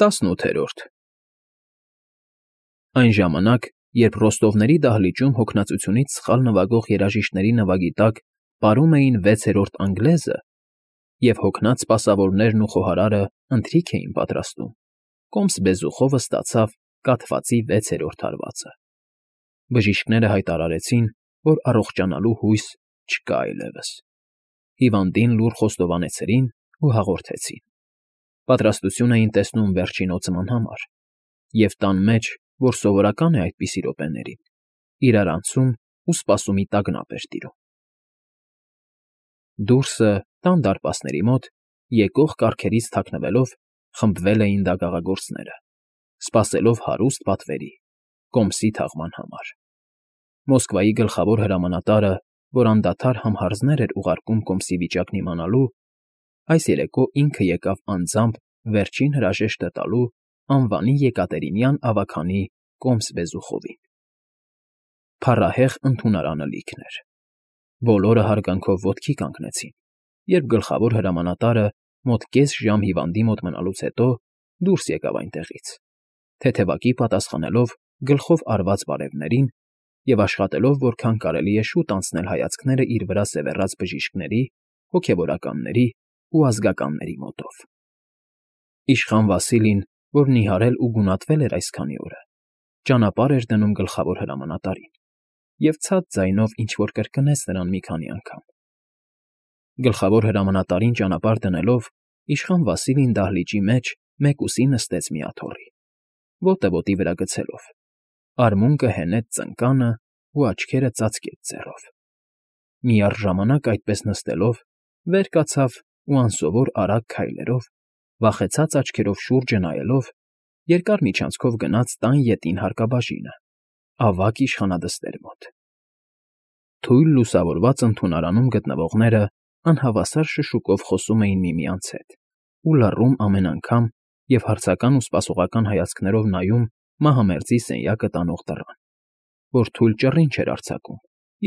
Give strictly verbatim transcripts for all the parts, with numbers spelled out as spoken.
Տասնութերորդ Այն ժամանակ, երբ ռոստովների դահլիճում հոգնածությունից սխալ նվագող երաժիշտների նվագի տակ պարում էին վեցերորդ անգլեզը, և հոգնած սպասավորներն ու խոհարարը ընթրիք էին պատրաստում, կոմս բեզուխովը ստացավ կաթվածի վեցերորդ հարվածը. բժիշկները հայտարարեցին, որ առողջանալու հույս չկա այլևս, հիվանդին լուռ խոստովանեցրին ու հաղորդեցին. պատրաստություն էին տեսնում վերջին օծման համար, և տան մեջ, որ սովորական է այդպիսի րոպեներին, իրարանցում ու սպասումի տագնապ էր տիրում։ Դուրսը, տան դարպասների մոտ, եկող կառքերից թաքնվելով, խմբվել էին դագաղագործները, սպասելով հարուստ պատվերի, կոմսի թաղման համար։ Մոսկվայի գլխավոր հրամանատարը, որ անդադար համհարձներ էր ուղարկում կոմսի վիճակն իմանալու, այս երեկո ինքը եկավ անձամբ վերջին հրաժեշտը տալու անվանի եկատերինյան ավագանի կոմս Բեզուխովին։ Փառահեղ ընդունարանը լիքն էր։ Բոլորը հարգանքով ոտքի կանգնեցին, երբ գլխավոր հրամանատարը մոտ կես ժամ հիվանդի մոտ մնալուց հետո դուրս եկավ այնտեղից, թեթևակի պատասխանելով գլխով արված բարևներին և աշխատելով որքան կարելի է շուտ անցնել հայացքները իր վրա սևեռած բժիշկների, հոգևորականների ու ազգականների մոտով։ Իշխան Վասիլին, որ նիհարել ու գունատվել էր այսքանի օրը, ճանապարհ էր դնում գլխավոր հրամանատարին և ցած ձայնով ինչ֊որ կրկնեց նրան մի քանի անգամ։ Գլխավոր հրամանատարին ճանապարհ դնելով, իշխան Վասիլին դահլիճի մեջ մեկուսի նստեց մի աթոռի, ոտը ոտի վրա գցելով, արմունկը հենեց ծնկանը ու աչքերը ծածկեց ձեռով։ Միառժամանակ այդպես նստելով, վեր կացավ ու անսովոր արագ քայլերով, վախեցած աչքերով շուրջը նայելով, երկար միջանցքով գնաց տան ետին հարկաբաժինը, ավագ իշխանադստեր մոտ։ Թույլ լուսավորված ընդունարանում գտնվողները անհավասար շշուկով խոսում էին միմյանց հետ ու լռում ամեն անգամ և հարցական ու սպասողական հայացքներով նայում մահամերձի սենյակը տանող դռան, որ թույլ ճռինչ էր արձակում,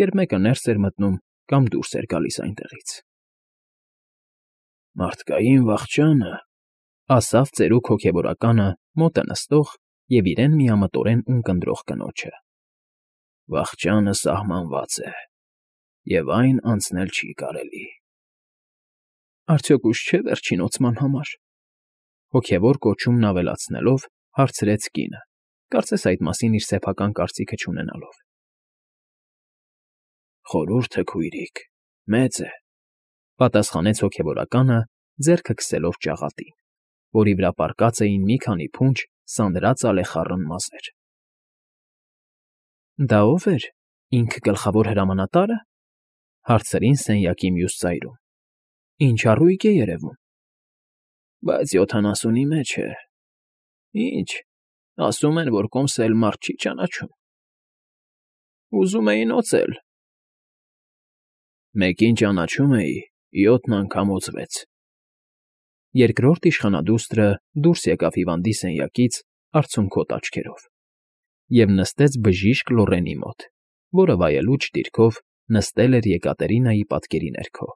երբ մեկը ներս էր մտնում կամ դուրս էր գալիս այնտեղից։ «Մարդկային վախճանը,֊ ասավ ծերուկ հոգևորականը մոտը նստող և իրեն միամտորեն ունկնդրող կնոջը,֊ վախճանը սահմանված է, և այն անցնել չի կարելի»։ Արդյոք ուշ չէ՞ վերջին օծման համար,֊ հոգևոր կոչումն ավելացնելով հարցրեց կինը, կարծես այդ մասին իր սեփական կարծիքը չունենալով։ «Խորհուրդը, քույրիկ, մեծ է,֊ պատասխանեց հոգևորականը, ձեռքը քսելով ճաղատին, որի վրա պառկած էին մի քանի փունջ սանրած ալեխառն մազեր։ «Դա ո՞վ էր, ինք գլխավոր հրամանատա՞րը,֊ հարցրին սենյակի մյուս ծայրում։֊ Ինչ առույգ է երևում»։ «Բայց յոթանասունի մեջ է։ Ինչ, ասում են, որ կոմսը էլ մարդ չի ճանաչում։ Ուզում էին օծել։ Մեկին ճանաչում էի, յոթն անգամ օծվեց»։ Երկրորդ իշխանադուստրը դուրս եկավ հիվանդի սենյակից արցունքոտ աչքերով և նստեց բժիշկ Լոռենի մոտ, որը վայելուչ դիրքով նստել էր Եկատերինայի պատկերի ներքո,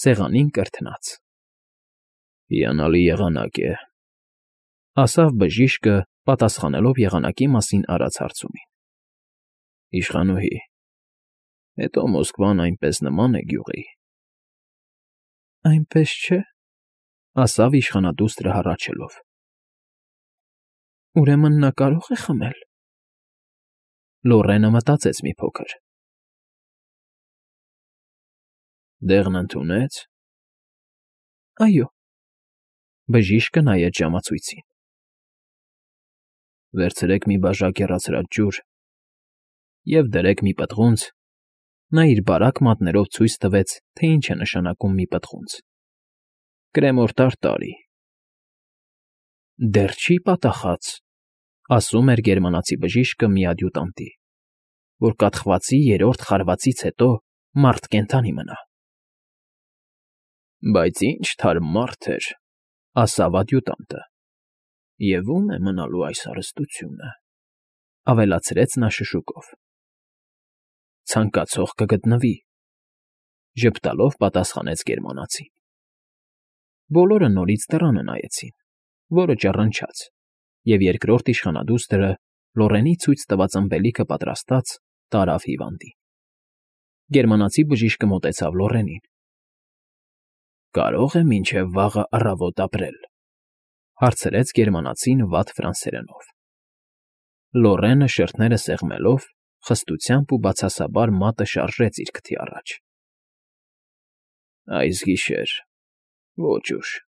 սեղանին կրթնած։ «Հիանալի եղանակ է,֊ ասավ բժիշկը, պատասխանելով եղանակի մասին արած հարցումին։ Իշխանուհի, հետո Մոսկվան այնպես նման է գյուղի»։ «Այնպես չէ,֊ ասավ իշխանադուստրը հառաչելով։ Ուրեմն նա կարո՞ղ է խմել»։ Լոռենը մտածեց մի փոքր։ «Դեղն ընդունե՞ց»։ «Այո,֊ բժիշկը նայեց ժամացույցին։ Վերցրեք մի բաժակ հեռացրած ջուր և դրեք մի պտղունց,֊ նա իր բարակ մատներով ցույց տվեց, թե ինչ է նշանակում մի պտղունց,֊ կրեմոր տարտարի։ Դեռ չի պատահած,֊ ասում էր գերմանացի բժիշկը մի ադյուտանտի,֊ որ կաթխվածի երրորդ խարվածից հետո մարդ կենդանի մնա։ Բայց ինչ թարմ մարդ էր,֊ ասավ ադյուտանտը։ Եվ ո՞ւմ է մնալու այս հարստությունը,֊ ավելացրեց նա շշուկով։ Ցանկացող կգտնվի,֊ ժպտալով պատասխանեց գերմանացին։ Բոլորը նորից դռանը նայեցին, որը ճռնչաց, և երկրորդ իշխանադուստրը, Լոռենի ցույց տված ըմպելիքը պատրաստած, տարավ հիվանդին։ Գերմանացի բժիշկը մոտեցավ Լոռենին։ ֊ Կարո՞ղ է մինչև վաղը առավոտ ապրել,֊ հարցրեց գերմանացին վատ ֆրանսերենով։ Լոռենը, շրթները սեղմելով, խստությամբ ու բացասաբար մատը շարժեց իր քթի առաջ։ ֊ Այս գիշեր, ոչ ուշ,֊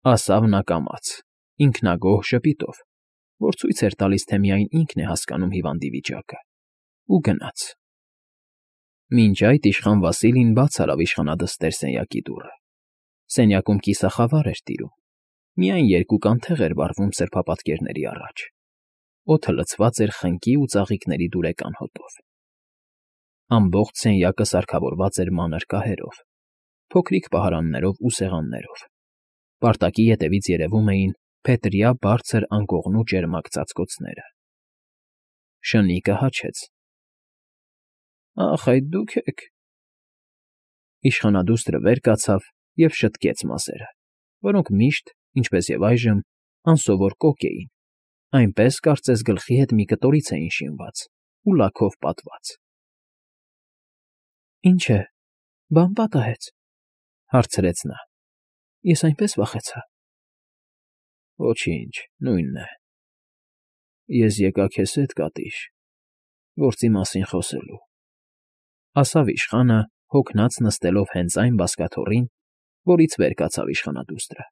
ասավ նա կամաց, ինքնագոհ ժպիտով, որ ցույց էր տալիս, թե միայն ինքն է հասկանում հիվանդի վիճակը, ու գնաց։ Մինչ այդ իշխան Վասիլին բաց արավ իշխանադստեր սենյակի դուռը։ Սենյակում կիսախավար էր տիրում, միայն երկու կանթեղ էր վառվում սրբապատկերների առաջ։ Օդը լցված էր խնկի ու ծաղիկների դուրեկան հոտով։ Ամբողջ սենյակը սարքավորված էր մանր կահերով, փոքրիկ պահարաններով ու սեղաններով։ Պարտակի ետևից երևում էին փետրյա բարձր անկողնու ճերմակ ծածկոցները։ Շնիկը հաչեց։ ֊ Ախ, այդ դուք եք,֊ իշխանադուստրը վեր կացավ և շտկեց մազերը, որոնք միշտ, ինչպես և այժմ, անսովոր կոկ էին, այնպես, կարծես գլխի հետ մի կտորից էին շինված ու լաքով պատված։ ֊ Ինչ է, բան պատահե՞ց,֊ հարցրեց նա։ Ես այնպես վախեցա։ ֊ Ոչինչ, նույնն է։ Ես եկա քեզ հետ, Կատիշ, գործի մասին խոսելու,֊ ասավ իշխանը, հոգնած նստելով հենց այն բազկաթոռին, որից վեր կացավ իշխանադուստրը։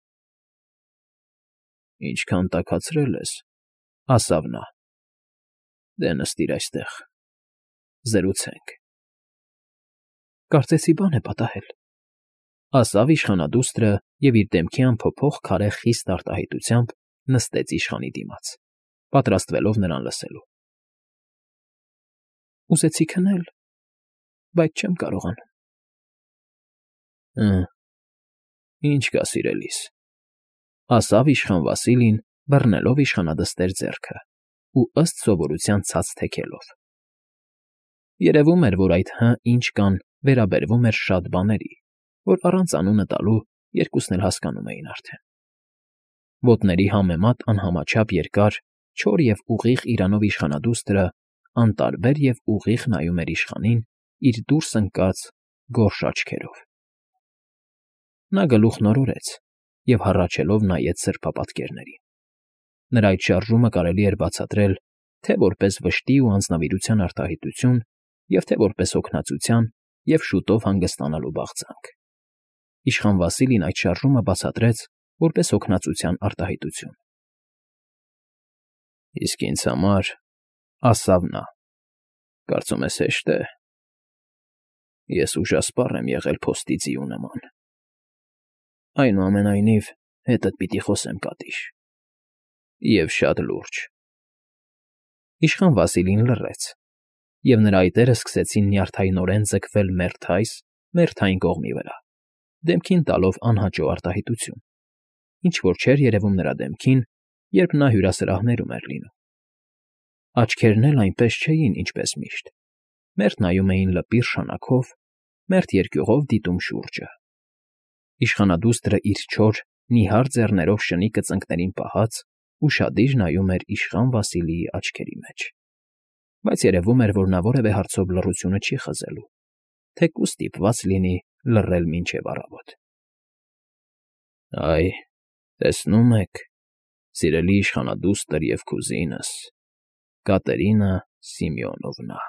֊ Ինչքան տաքացրել ես,֊ ասավ նա,֊ դե նստիր այստեղ, զրուցենք։ ֊ Կարծեցի բան է պատահել,֊ ասավ իշխանադուստրը և իր դեմքի անփոփոխ քարե խիստ արտահայտությամբ նստեց իշխանի դիմաց, պատրաստվելով նրան լսելու։ ֊ Ուզեցի քնել, բայց չեմ կարողանում։ ֊ Հը, ինչ կա, սիրելիս,֊ ասավ իշխան Վասիլին, բռնելով իշխանադստեր ձեռքը ու ըստ սովորության ցած թեքելով։ Երևում էր, որ այդ «հը, ինչ կան» վերաբերվում էր շատ բաների, որ առանց անունը տալու երկուսն էլ հասկանում էին արդեն։ Ոտների համեմատ անհամաչափ երկար, չոր և ուղիղ իրանով իշխանադուստրը անտարբեր և ուղիղ նայում էր իշխանին իր դուրս ընկած գորշ աչքերով։ Նա գլուխն օրորեց և հառաչելով նայեց սրբապատկերներին։ Նրա այդ շարժումը կարելի էր բացատրել թե՛ որպես վշտի ու անձնավորության արտահայտություն և թե՛ որպես հոգնածության և շուտով հանգստանալու բաղձանք։ Իշխան Վասիլին այդ շարժումը բացատրեց որպես հոգնածության արտահայտություն։ ֊ Իսկ ինձ համար,֊ ասավ նա,֊ կարծում ես հեշտ է։ Ես ուժասպառ եմ եղել փոստի ձիու նման։ Այնուամենայնիվ, հետդ պիտի խոսեմ, Կատիշ, և շատ լուրջ։ Իշխան Վասիլին լռեց, և նրա այտերը սկսեցին նյարդայնորեն ձգվել մերթ այս, մերթ այն կողմի վրա, դեմքին տալով անհաճո արտահայտություն, ինչ֊որ չէր երևում նրա դեմքին, երբ նա հյուրասրահներում էր լինում։ Աչքերն էլ այնպես չէին, ինչպես միշտ, մերթ նայում էին լպիր շանաքով, մերթ երկյուղով դիտում շուրջը։ Իշխանադուստրը իր չոր, նիհար ձեռներով շնիկը ծնկներին պահած, ուշադիր նայում էր իշխան Վասիլիի աչքերի մեջ, բայց երևում էր, որ նա որևէ հարցով լռությունը չի խզելու, թեկուզ ստիպված լինի լռել մինչև առավոտ։ ֊ Այ, տեսնում եք, սիրելի իշխանադուստր և կուզինս, Կատերինա Սիմեոնովնա,֊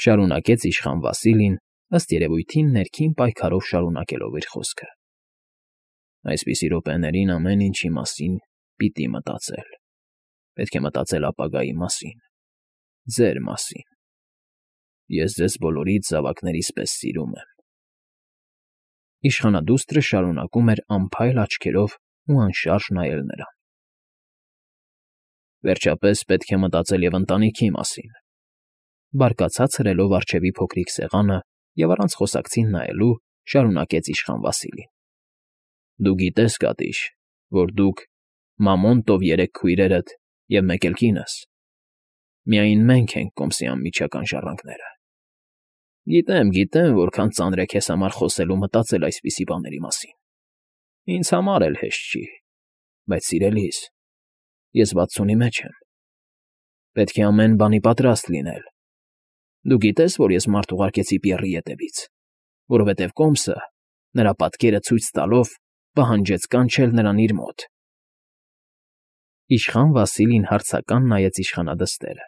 շարունակեց իշխան Վասիլին, ըստ երևույթին ներքին պայքարով շարունակելով իր խոսքը,֊ այսպիսի րոպեներին ամեն ինչի մասին պիտի մտածել, պետք է մտածել ապագայի մասին, ձեր մասին։ Ես ձեզ բոլորիդ զավակներիս պես սիրում եմ։ Իշխանադուստրը շարունակում էր անփայլ աչքերով ու անշարժ նայել նրան։ ֊ Վերջապես, պետք է մտածել և ընտանիքի մասին,֊ բարկացած հրելով առջևի փոքրիկ սեղանը և առանց խոսակցին նայելու շարունակեց իշխան Վասիլին,֊ Դու գիտես, Կատիշ, որ դուք, Մամոնտով երեք քույրերդ և մեկ էլ կինս, միայն մենք ենք կոմսի անմիջական ժառանգները։ Գիտեմ, գիտեմ, որքան ծանր է քեզ համար խոսել ու մտածել այսպիսի բաների մասին, ինձ համար էլ հեշտ չի։ Բայց, սիրելիս, ես վաթսունի մեջ եմ, պետք է ամեն բանի պատրաստ լինել։ Դու գիտես, որ ես մարդ ուղարկեցի Պիեռի ետևից, որովհետև կոմսը, նրա պատկերը ցույց տալով, պահանջեց կանչել նրան իր մոտ։ Իշխան Վասիլին հարցական նայեց իշխանադստերը,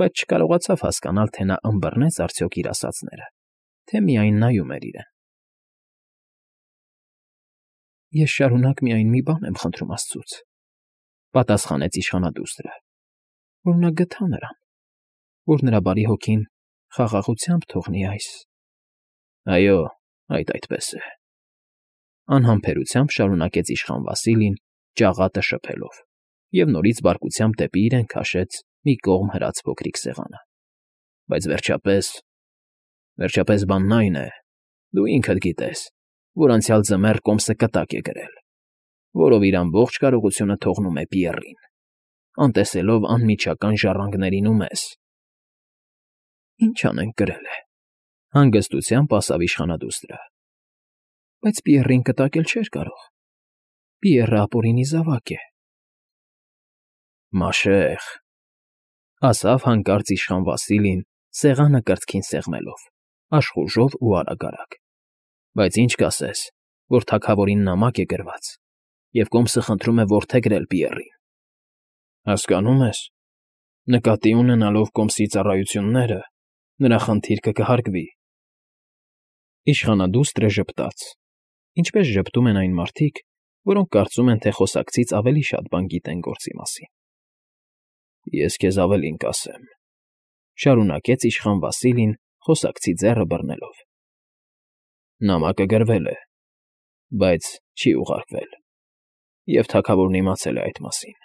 բայց չկարողացավ հասկանալ, թե նա ըմբռնեց արդյոք իր ասածները, թե միայն նայում էր իրեն։ Ես շարունակ միայն մի բան եմ խնդրում աստծուց, պատասխանեց իշխանադուստրը, որ նա գթա նրան, որ նրա բարի հոգին խաղաղությամբ թողնի այս։ Այո, այդ այդպես է, անհամբերությամբ շարունակեց իշխան Վասիլին, ջաղատը շփելով, և նորից բարկությամբ դեպի իրեն քաշեց մի կողմ հրած փոքրիկ սեղանը։ Բայց վերջապես, վերջապես բանն այն է, դու ինքդ գիտես, որ անցյալ ձմեռ կոմսը կտակ է գրել, որով իր ամբողջ կարողությունը թողնում է Պիեռին, անտեսելով անմիջական ժառանգներին ու մեզ։ Ինչ անենք գրել է, հանգստությամբ ասավ իշխանադուստրը։ Բայց Պիեռին կտակել չէր կարող։ Պիեռը ապօրինի զավակ է։ Մաշեղ, ասավ հանկարծ իշխան Վասիլին, սեղանը կրծքին սեղմելով, աշխուժով ու արագ֊արագ։ Բայց ինչ կասես, որ թագավորին նամակ է գրված, և կոմսը խնդրում է որդեգրել Պիեռին։ Հասկանում ես, նկատի ունենալով կոմսի ծառայությունները, նրա խնդիրքը կհարգվի։ Իշխանադուստրը ժպտաց, ինչպես ժպտում են այն մարդիկ, որոնք կարծում են, թե խոսակցից ավելի շատ բան գիտեն գործի մասին։ Ես քեզ ավելին կասեմ, շարունակեց իշխան Վասիլին, խոսակցի ձեռը բռնելով։ Նամակը գրվել է, բայց չի ուղարկվել, և թագավորն իմացել է այդ մասին։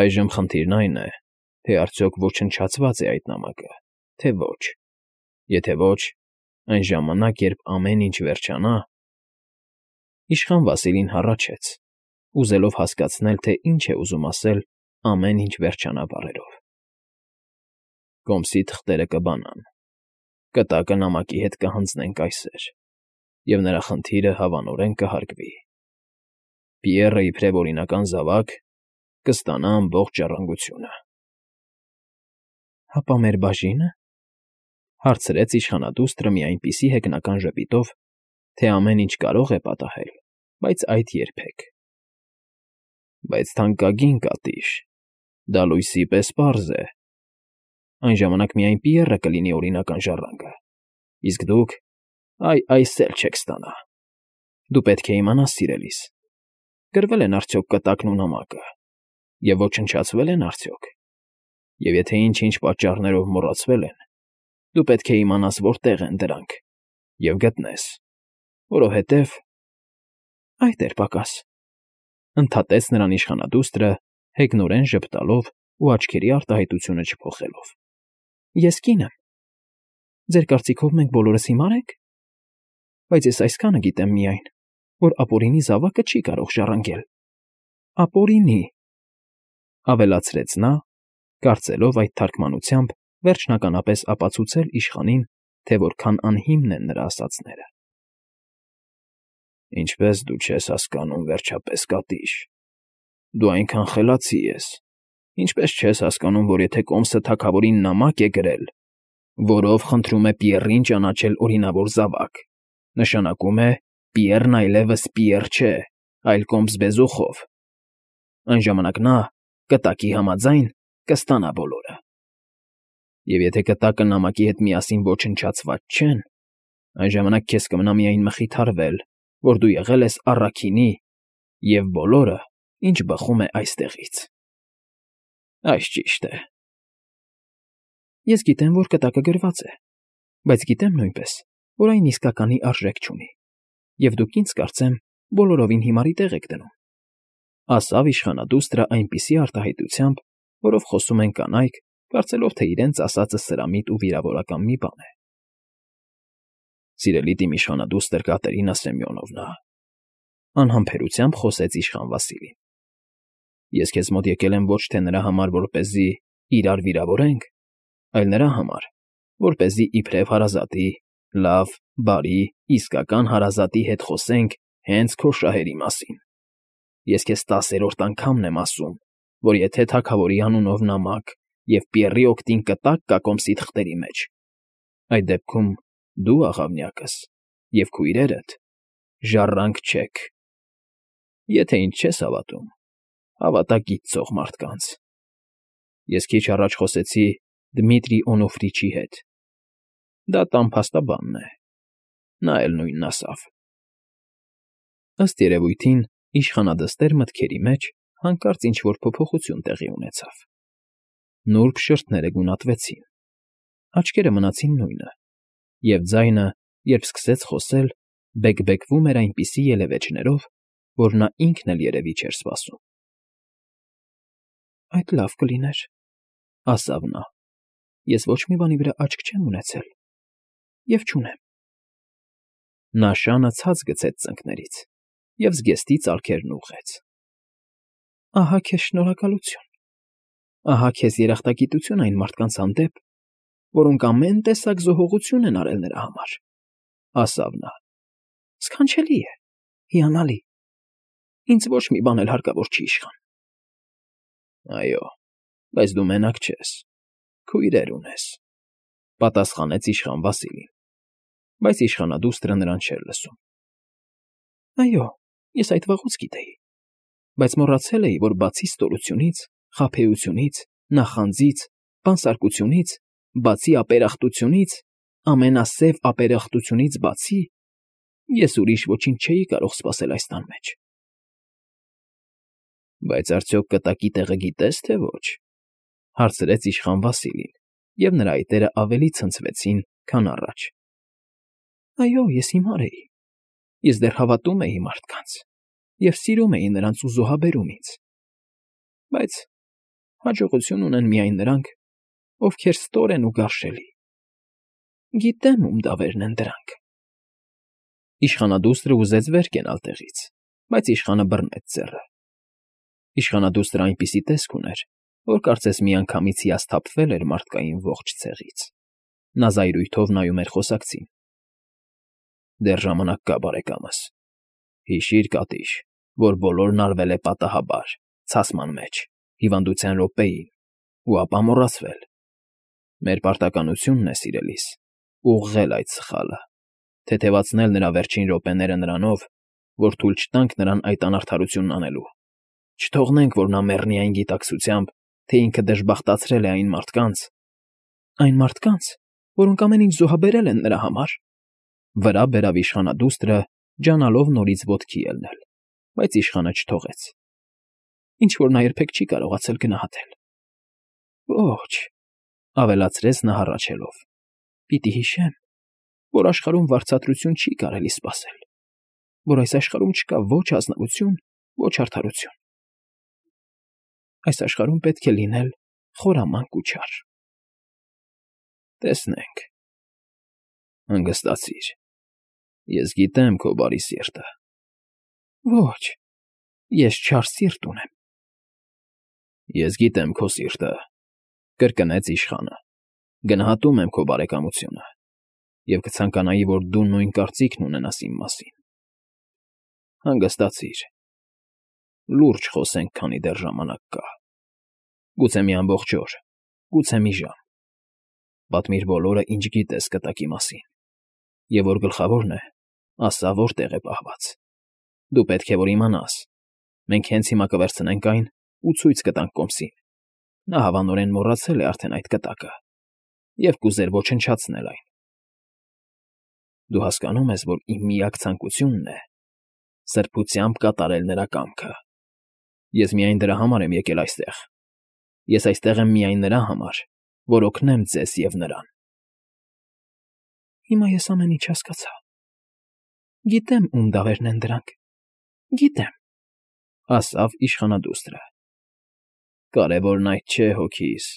Այժմ խնդիրն այն է, թե արդյոք ոչնչացված է այդ նամակը, թե ոչ։ Եթե ոչ, այն ժամանակ, երբ ամեն ինչ վերջանա… Իշխան Վասիլին հառաչեց, ուզելով հասկացնել, թե ինչ է ուզում ասել ամեն ինչ վերջանա բառերով։ Կոմսի թղթերը կբանան, կտակը նամակի հետ կհանձնենք այսօր, և նրա խնդիրը հավանորեն կհարգվի։ Պիեռը, իբրև օրինական զավակ, կստանա ամբողջ ժառանգությունը։ Հապա մեր բաժի՞նը, հարցրեց իշխանադուստրը մի այնպիսի հեգնական ժպիտով, թե ամեն ինչ կարող է պատահել, բայց այդ երբեք։ Բայց թանկագին կատիշ, դա լույսի պես պարզ է։ Այն ժամանակ միայն Պիեռը կլինի օրինական ժառանգը, իսկ դուք, այ, այս էլ չեք ստանա։ Դու պետք է իմանաս, սիրելիս, գրվել են արդյոք կտակն ու նամակը, և ոչնչացվե՞լ են արդյոք։ Եվ եթե ինչ֊ինչ պատճառներով մոռացվել են, դու պետք է իմանաս որտեղ են դրանք և գտնես, որովհետև… Այդ էր պակաս, ընդհատեց նրան իշխանադուստրը, հեգնորեն ժպտալով ու աչքերի արտահայտությունը չփոխելով։ Ես կին եմ։ Ձեր կարծիքով մենք բոլորս հիմա՞ր ենք։ Բայց ես այսքանը գիտեմ միայն, որ ապօրինի զավակը չի կարող ժառանգել։ Ապօրինի, ավելացրեց նա, կարծելով այդ թարգմանությամբ վերջնականապես ապացուցել իշխանին, թե որքան անհիմն են նրա ասածները։ Ինչպես դու չես հասկանում, վերջապես, կատիշ, դու այնքան խելացի ես, ինչպես չես հասկանում, որ եթե կոմսը թագավորին նամակ է գրել, որով խնդրում է Պիեռին ճանաչել օրինավոր զավակ, նշանակում է Պիեռն այլևս Պիեռ չէ, այլ կոմս բեզուխով։ Այն ժամանակ նա, կտակի համաձայն, կստանա բոլորը։ Եվ եթե կտակը նամակի հետ միասին ոչնչացված չեն, այն ժամանակ քեզ կմնա միայն մխիթարվել, որ դու եղել ես առաքինի և բոլորը, ինչ բխում է այստեղից։ Այս ճիշտ է։ Ես գիտեմ, որ կտակը գրված է, բայց գիտեմ նույնպես, որ այն իսկականի արժեք չունի, և դուք ինձ, կարծեմ, բոլորովին հիմարի տեղ եք դնում, ասավ իշխանադուստրը այնպիսի արտահայտությամբ, որով խոսում են կանայք, կարծելով, թե իրենց ասածը սրամիտ ու վիրավորական մի բան է։ Սիրելի իմ իշխանադուստր Կատերինա Սեմյոնովնա, անհամբերությամբ խոսեց իշխան Վասիլին։ Ես քեզ մոտ եկել եմ ոչ թե նրա համար, որպեսզի իրար վիրավորենք, այլ նրա համար, որպեսզի իբրև հարազատի, լավ, բարի, իսկական հարազատի հետ խոսենք հենց քո շահերի մասին։ Ես քեզ տասերորդ անգամն եմ ասում, որ եթե թագավորի անունով նամակ և Պիեռի օգտին կտակ կա կոմսիդ խտերի մեջ, այդ դեպքում դու, աղավնյակս, և քույրերդ ժառանգ չեք։ Եթե ինձ չես հավատում, հավատա գիտծող մարդկանց։ Ես քիչ առաջ խոսեցի Դմիտրի Օնոֆրիչի հետ. դա տան փաստաբանն է, նա էլ նույնն ասավ։ Ըստ երևույթին, իշխանադստեր մտքերի մեջ հանկարծ ինչ֊որ փոփոխություն տեղի ունեցավ. նուրբ շրթները գունատվեցին, աչքերը մնացին նույնը, և ձայնը, երբ սկսեց խոսել, բեկբեկվում էր այնպիսի ելևէջներով, որ նա ինքն էլ երևի չէր սպասում։ Այդ լավ կլիներ, ասավ նա, ես ոչ մի բանի վրա աչք չեմ ունեցել և չունեմ։ Նա շանը ցած գցեց ծնկներից և զգեստի ծալքերն ուղղեց։ Ահա քեզ շնորհակալություն, ահա քեզ երախտագիտություն այն մարդկանց հանդեպ, որոնք ամեն տեսակ զոհողություն են արել նրա համար, ասավ նա։ Սքանչելի է, հիանալի, ինձ ոչ մի բան էլ հարկավոր չի, իշխան։ Այո, բայց դու մենակ չես, քույրեր ունես, պատասխանեց իշխան Վասիլին, բայց իշխանադուստրը նրան չէր լսում։ Այո, ես այդ վաղուց գիտեի, բայց մոռացել էի, որ բացի ստորությունից, խաբեությունից, նախանձից, բանսարկությունից, բացի ապերախտությունից, ամենասև ապերախտությունից բացի, ես ուրիշ ոչինչ չէի կարող սպասել այս տան մեջ։ Բայց արդյոք կտակի տեղը գիտե՞ս, թե ոչ, հարցրեց իշխան Վասիլին, և նրա այտերը ավելի ցնցվեցին, քան առաջ։ Այո, ես հիմար էի, ես դեռ հավատում էի մարդկանց և սիրում էի նրանց ու զոհաբերում ինձ, բայց հաջողություն ունեն միայն նրանք, ովքեր ստոր են ու գարշելի։ Գիտեմ, ում դավերն են դրանք։ Իշխանադուստրը ուզեց վեր կենալ տեղից, բայց իշխանը բռնեց ձեռը։ Իշխանադուստրը այնպիսի տեսք ուներ, որ կարծես միանգամից հիասթափվել էր մարդկային ողջ ցեղից։ Նա զայրույթով նայում էր խոսակցին։ Դեռ ժամանակ կա, բարեկամս։ Հիշիր, Կատիշ, որ բոլորն արվել է պատահաբար, ցասման մեջ, հիվանդության րոպեին, ու ապա մոռացվել։ Մեր պարտականությունն է, սիրելիս, ուղղել այդ սխալը, թեթևացնել նրա վերջին րոպեները նրանով, որ թույլ չտանք նրան այդ անարդարությունն անելու։ Չթողնենք, որ նա մեռնի այն գիտակցությամբ, թե ինքը դժբախտացրել է այն մարդկանց… Այն մարդկանց, որոնք ամեն ինչ զոհաբերել են նրա համար… Վրա բերավ իշխանադուստրը, ջանալով նորից ոտքի ելնել, բայց իշխանը չթողեց։ Ինչ֊որ նա երբեք չի կարողացել գնահատել։ Ոչ, ավելացրեց նա հառաչելով, պիտի հիշեմ, որ աշխարհում վարձատրություն չի կարելի սպասել, որ այս աշխարհում չկա ոչ ազնվություն, ոչ արդարություն։ Այս աշխարհում պետք է լինել խորամանկ ու չար։ Տեսնենք… Հանգստացիր, ես գիտեմ քո բարի սիրտը։ Ոչ, ես չար սիրտ ունեմ։ Ես գիտեմ քո սիրտը, կրկնեց իշխանը, գնահատում եմ քո բարեկամությունը և կցանկանայի, որ դու նույն կարծիքն ունենաս իմ մասին։ Հանգստացիր, լուրջ խոսենք, քանի դեռ ժամանակ կա։ Գուցե մի ամբողջ օր, գուցե մի ժամ։ Պատմիր բոլորը, ինչ գիտես կտակի մասին, և որ գլխավորն է, ասա որտեղ է պահված։ Դու պետք է որ իմանաս, մենք հենց հիմա կվերցնենք այն ու ցույց կտանք կոմսին։ Նա հավանորեն մոռացել է արդեն այդ կտակը և կուզեր ոչնչացնել այն։ Դու հասկանո՞ւմ ես, որ իմ միակ ցանկությունն է սրբությամբ կատարել նրա կամքը։ Ես միայն դրա համար եմ եկել այստեղ։ Ես այստեղ եմ միայն նրա համար, որ օգնեմ ձեզ և նրան։ Հիմա ես ամեն ինչ հասկացա։ Գիտեմ, ում դավերն են դրանք, գիտեմ, ասավ իշխանադուստրը։ Կարևորն այդ չէ, հոգիս։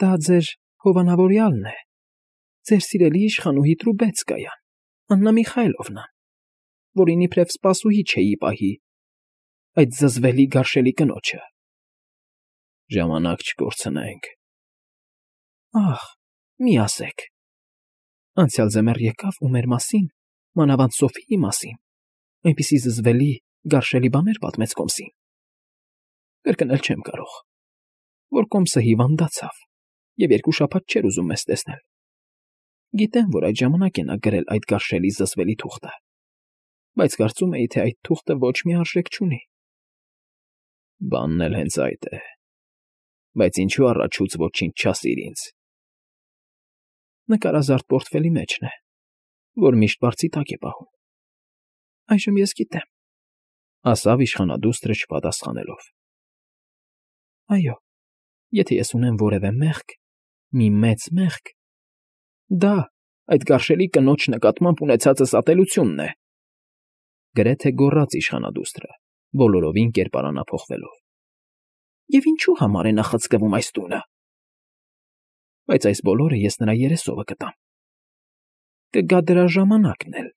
Դա ձեր հովանավորյալն է, ձեր սիրելի իշխանուհի Տրուբեցկայան, Աննա Միխայլովնան, որին իբրև սպասուհի չէի պահի, այդ զզվելի գարշելի կնոջը։ Ժամանակ չկորցնենք։ Ախ, մի ասեք։ Անցյալ ձմեռ եկավ ու մեր մասին, մանավանդ Սոֆիի մասին, այնպիսի զզվելի, գարշելի բաներ պատմեց կոմսին։ Կրկնել չեմ կարող, որ կոմսը հիվանդացավ և երկու շաբաթ չէր ուզում մեզ տեսնել։ Գիտեմ, որ այդ ժամանակ է նա գրել այդ գարշելի զզվելի թուղթը, բայց կարծում էի, թե այդ թուղթը ոչ մի արժեք չունի։ Բանն էլ հենց այդ է, բայց ինչու առաջուց ոչինչ չասիր ինձ։ Նկարազարդ պորտֆելի մեջն է, որ միշտ բարձի տակ է պահում։ Այժմ ես գիտեմ, ասավ իշխանադուստրը չպատասխանելով։ Այո, եթե ես ունեմ որևէ մեղք, մի մեծ մեղք, դա այդ գարշելի կնոջ նկատմամբ ունեցածս ատելությունն է,֊ գրեթե գոռաց իշխանադուստրը, բոլորովին կերպարանափոխվելով։ Եվ ինչու համար է նա խցկվում այս տունը։ Բայց այս բոլորը ես նրա երեսովը կտամ։ Կգա դրա ժամանակն էլ,